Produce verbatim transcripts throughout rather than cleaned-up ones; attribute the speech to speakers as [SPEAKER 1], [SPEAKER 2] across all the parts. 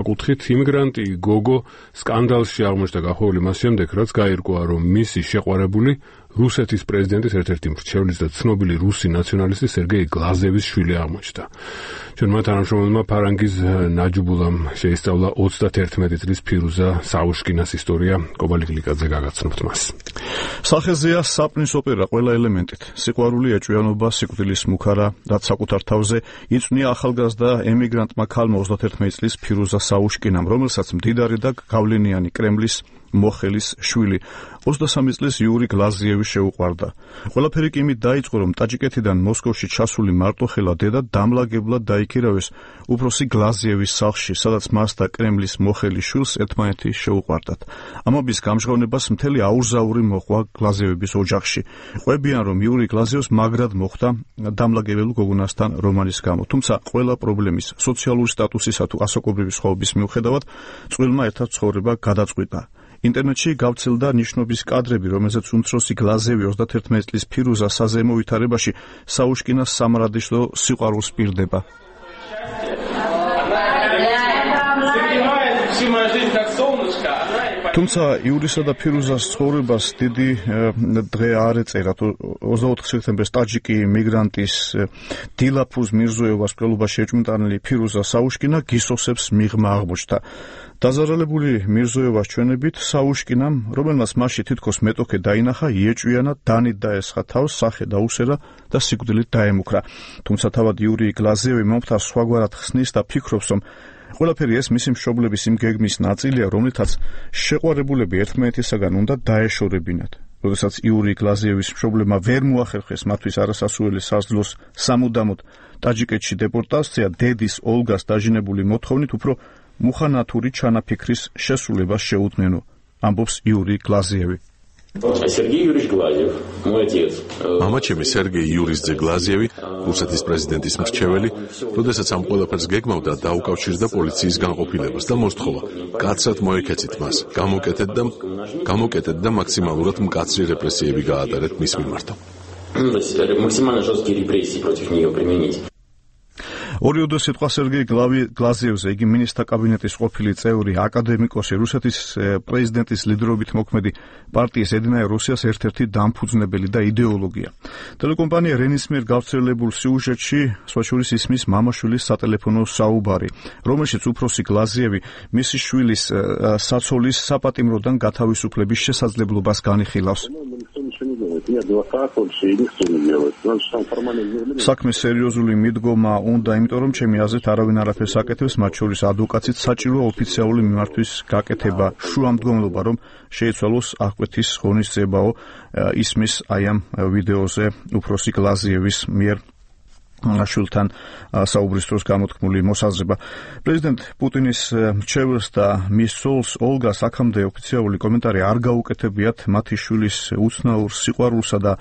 [SPEAKER 1] კუთხით იმიგრანტი გოგო სკანდალში აღმოჩნდა გახვეული მას შემდეგ, რაც გაირკვა, რომ მისი შეყვარებული რუსეთის პრეზიდენტის ერთ-ერთი მრჩევლის და ცნობილი რუსი ნაციონალისტი სერგეი გლაზევის შვილი აღმოჩნდა. ჩვენმა თანამშრომელმა ფარანგის ნაჯუბულამ შეისწავლა ოცდაათერთმეტი წლის ფირუზა საუშკინას ისტორია. კობალი გლიკაძე გაგაცნობთ მას.
[SPEAKER 2] სახეზეა საპნის ოპერა ყველა ელემენტით. სიყვარული, ეჭვიანობა, სიკვდილის მუქარა, რაც საკუთარ თავზე იწვნია ახალგაზრდა ემიგრანტმა ქალმა ოცდაათერთმეტი წლის ფირუზა საუშკინამ, რომელსაც მდიდარი და გავლენიანი კრემლის მოხელის შვილი ოცდასამი წლის იური გლაზიევი შეუყვარდა. ყველაფერი კი იმით დაიწყო, რომ ტაჯიკეთიდან მოსკოვში ჩასული მარტოხელა დედა დამლაგებლად დაიქირავეს უფროსი გლაზიევის სახლში, სადაც მას და კრემლის მოხელის შვილს ერთმანეთი შეუყვარდათ. ამობის გამჟღავნებას მთელი აურზაური მოყვა გლაზიევების ოჯახში. ყვებიან, რომ იური გლაზიევს მაგრად მოხვდა დამლაგებელ გოგონასთან რომანის გამო. თუმცა ყველა პრობლემის, სოციალური სტატუსისა თუ ასაკობრივი სხვაობის მიუხედავად, წყვილმა ერთად ცხოვრება გადაწყვიტა. ინტერნეტში გავრცელდა ნიშნობის კადრები, რომელზეც უმცროსი გლაზევი ოცდაათერთმეტი წლის ფირუზა საზეიმო ვითარებაში საუშკინას სამარადისო სიყვარულს პირდება. თუმცა იურისა და ფირუზას ცხოვრებას დიდი დღე არ ეწერა. ოცდაოთხი სექტემბერს ტაჯიკი მიგრანტის დილაფუზ მირზოევას მკვლელობაში ეჭვმიტანილი ფირუზა საუშკინა გისოსებს მიღმა აღმოჩნდა. დაზარალებული მირზოევას ჩვენებით საუშკინამ, რომელმაც მასში თითქოს მეტოქე დაინახა, იეჭვიანა, დანით დაესხა თავს, სახე დაუსერა და სიკვდილით დაემუქრა. თუმცა თავად იური გლაზიევი მომხდარს სხვაგვარად ხსნის და ფიქრობს, რომ ყველაფერი ეს მისი მშობლების იმ გეგმის ნაწილია, რომლითაც შეყვარებულები ერთმანეთისაგან უნდა დაეშორებინათ. როდესაც იური გლაზიევის მშობლებმა ვერ მოახერხეს მათთვის არასასურველი საზრდოს სამუდამოდ ტაჯიკეთში დეპორტაცია, დედის ოლგას დაჟინებული მოთხოვნით უფრო მუხანათური ჩანაფიქრის შესრულებას შეუდგენო, ამბობს იური გლაზიევი.
[SPEAKER 3] Сергей Юрьевич Глазьев, мой отец.
[SPEAKER 4] Мама ჩემი სერგეი იურის ძე გლაზიევი, რუსეთის პრეზიდენტის მრჩეველი, როდესაც ამ ყველაფერს გეგმავდა, დაუკავშირდა პოლიციის განყოფილებას და მოსთხოვა, კაცად მოეკეცით მას, გამოკეტეთ და გამოკეტეთ და მაქსიმალურად მკაცრი რეპრესიები გაატარეთ მის მიმართ.
[SPEAKER 3] Максимально жесткие репрессии против нее применить.
[SPEAKER 2] ორიოდე სიტყვა სერგეი გლაზიევზე, იგი მინისტრთა კაბინეტის ყოფილი წევრი, აკადემიკოსი, რუსეთის პრეზიდენტის ლიდერობით მოქმედი პარტიის ედინაია რუსიას ერთ-ერთი დამფუძნებელი და იდეოლოგია. ტელეკომპანია რენის მიერ გავრცელებულ სიუჟეტში სხვაშორის ისმის მამაშვილის სატელეფონო საუბარი, რომელშიც უფროსი გლაზიევი მისი შვილის საცოლის საპატიმროდან გათავისუფლების შესაძლებლობას განიხილავს. საქმე სერიოზული მიდგომა უნდა, იმიტომ რომ ჩემი აზრით არავინ არაფერს აკეთებს, მათ შორის ადვოკატიც საჭიროა ოფიციალური მიმართვის გაკეთება, შუამდგომლობა რომ შეიცვალოს აღკვეთის ღონისძიებაო, ისმის აი ამ ვიდეოზე უფროსი გლაზიევის მიერ შვილთან საუბრის დროს გამოთქმული მოსაზრება. პრეზიდენტ პუტინის მრჩეველს და მის ცოლს ოლგას აქამდე ოფიციალური კომენტარი არ გაუკეთებიათ მათი შვილის უცნაურ სიყვარულსა და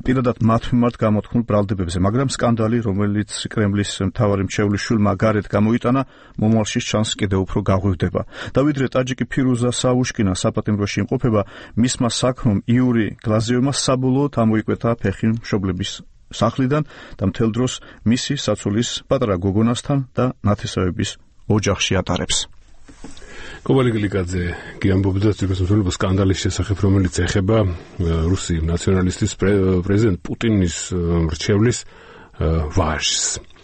[SPEAKER 2] პირადად მათ მიმართ გამოთქმულ ბრალდებებზე, მაგრამ სკანდალი, რომელიც კრემლის მთავარი მრჩევლის შვილმა გარეთ გამოიტანა, მომავალში ჩანს კიდევ უფრო გაღვივდება. და ვიდრე ტაჯიკი ფირუზა საუშკინა საპატიმროში იმყოფება, მისმა საქმომ იური გლაზიევმა საბოლოოდ ამოიკვეთა ფეხი მშობლების სახლიდან და მთელ დროს მისი საცოლის პატარა გოგონასთან და ნათესავების ოჯახში ატარებს.
[SPEAKER 1] კობალი გლიკაძე გიამბობდა ძირფესმსვლელობის სკანდალის შესახებ, რომელიც ეხება რუსი ნაციონალისტის პრეზიდენტ პუტინის მრჩევლის ვაჟს.